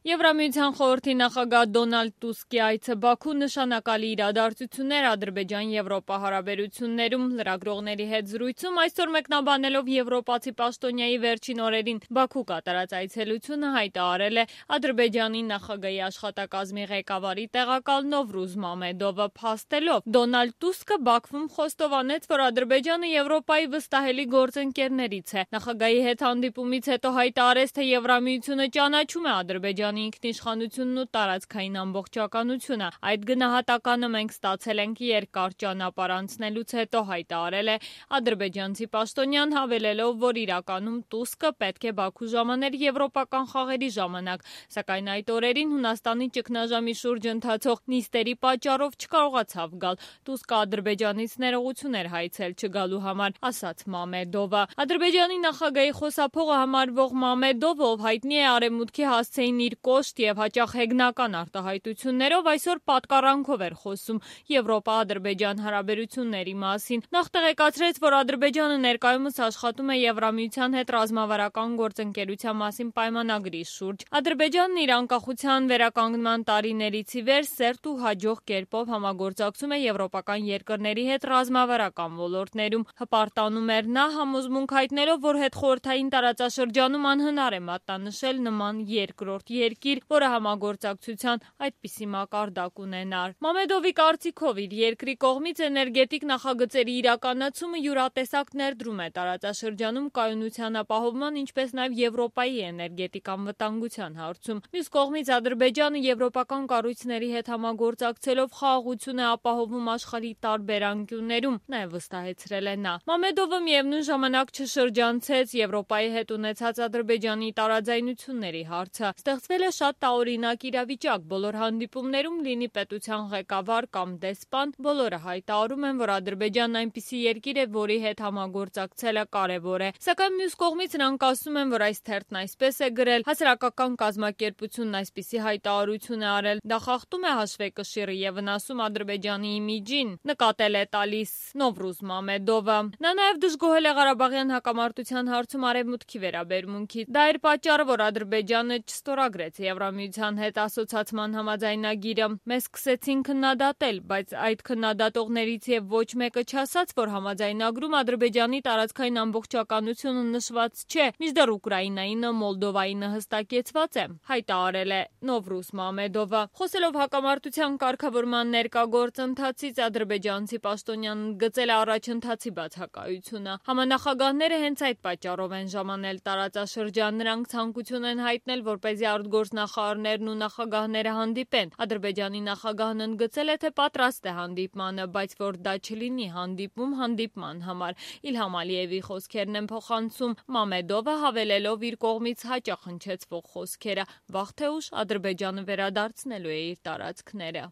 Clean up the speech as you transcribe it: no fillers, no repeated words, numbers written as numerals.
Եվրամիության խորհրդի նախագահ Դոնալդ Տուսկի այցը Բաքու նշանակալի իրադարձություններ Ադրբեջան-Եվրոպա հարաբերություններում լրագրողների հետ զրույցում այսօր մեկնաբանելով եվրոպացի պաշտոնյայի վերջին օրերին Բաքու կատարած այցելությունը հայտարարել է Ադրբեջանի նախագահի աշխատակազմի ղեկավարի տեղակալ Նովրուզ Մամեդովը փաստելով։ Դոնալդ Տուսկը Բաքվում խոստովանեց, որ Ադրբեջանը Եվրոպայի վստահելի գործընկերներից է։ Նախագահի հետ հանդիպումից հետո հայտարարեց, թե Եվրամիությունը ճանաչում է Ադրբեջանի ինքնիշխանությունն ու տարածքային ամբողջականությունը։ Այդ գնահատականը մենք ստացել ենք երկար ճանապարհ անցնելուց հետո, հայտարարել է ադրբեջանցի պաշտոնյան, հավելելով, որ իրականում Տուսկը պետք է Բաքու ժամաներ եվրոպական խաղերի ժամանակ, սակայն այդ օրերին Հունաստանի ճգնաժամի շուրջ ընթացող նիստերի պատճառով չկարողացավ գալ։ Տուսկը Ադրբեջանից ներողություն էր հայցել չգալու համար, ասաց Մամեդովը։ Ադրբեջանի նախագահի խոսափողը համարվող Մամեդովը, ով հայտնի է Արևմուտքի հասցեին իր կոշտ եւ հաճախ հեգնական արտահայտություններով, այսօր պատկառանքով էր խոսում Եվրոպա-Ադրբեջան հարաբերությունների մասին։ Նախ տեղեկացրեց, որ Ադրբեջանը ներկայումս աշխատում է Եվրամիության հետ ռազմավարական գործընկերության մասին պայմանագրի շուրջ։ Ադրբեջանն իր անկախության վերականգնման տարիներից ի վեր սերտ ու հաջող կերպով համագործակցում է եվրոպական երկրների հետ ռազմավարական ոլորտներում։ Հպարտանում էր նա, համոզմունք հայտնելով, որ հետխորհրդային տարածաշրջանում անհնար է մատնանշել նման երկրորդ երկիր, որը համագործակցության այդպիսի մակարդակ ունենար։ Մամեդովի կարծիքով իր երկրի կողմից էներգետիկ նախագծերի իրականացումը յուրատեսակ ներդրում է տարածաշրջանում կայունության ապահովման, ինչպես նաև Եվրոպայի էներգետիկ անվտանգության հարցում։ Մյուս կողմից Ադրբեջանը եվրոպական կառույցների հետ համագործակցելով խաղաղություն է ապահովում աշխարհի տարբեր անկյուններում, նաև վստահեցրել է նա։ Մամեդովը միևնույն ժամանակ չշրջանցեց Եվրոպայի հետ ունեցած Ադրբեջանի տարաձայնությունների հարցը։ Ստեղծվել է շատ տարօրինակ իրավիճակ։ Բոլոր հանդիպումներում լինի պետության ղեկավար կամ դեսպան, բոլորը հայտարարում են, որ Ադրբեջանն այնպիսի երկիր է, որի հետ համագործակցելը կարևոր է։ Սակայն մյուս կողմից նրանք ասում են, որ այս թերթն այսպես է գրել, հասարակական կազմակերպությունն այսպիսի հայտարարություն է արել, դա խախտում է հաշվեկշիռը եւ վնասում Ադրբեջանի իմիջին, նկատել է տալիս Նովրուզ Մամեդովը։ Նա նաև դժգոհել է Ղարաբաղյան հակամարտության հարցում Արևմուտքի վերաբերմունքից։ Դա էր պատճառը, որ Ադրբեջանը չստորագրեց Եվրամիության հետ ասոցացման համաձայնագիրը։ Մեզ սկսեցին քննադատել, բայց այդ քննադատողներից եւ ոչ մեկը չասաց, որ համաձայնագրում Ադրբեջանի տարածքային ամբողջականությունը նշված չէ, մինչդեռ Ուկրաինայինը, Մոլդովայինը հստակեցված է, հայտարարել է Նովրուզ Մամեդովը։ Խոսելով հակամարտության կարգավորման ներկա գործընթացից, ադրբեջանցի պաշտոնյան ընդգծել է առաջընթացի բացակայությունը։ Համանախագահները հենց այդ պատճառով են ժամանել տարածաշրջան, նրանք ցանկություն են հայտնել, որպեսզի արտգործնախարարներն ու նախագահները հանդիպեն։ Ադրբեջանի նախագահն ընդգծել է, թե պատրաստ է հանդիպմանը, բայց որ դա չլինի հանդիպում հանդիպման համար։ Իլհամ Ալիևի խոսքերն են փոխանցում Մամեդովը, հավելելով իր կողմից հաճախ հնչեցվող խոսքերը. վաղ թե ուշ Ադրբեջանը վերադարձնելու է իր տարածքները։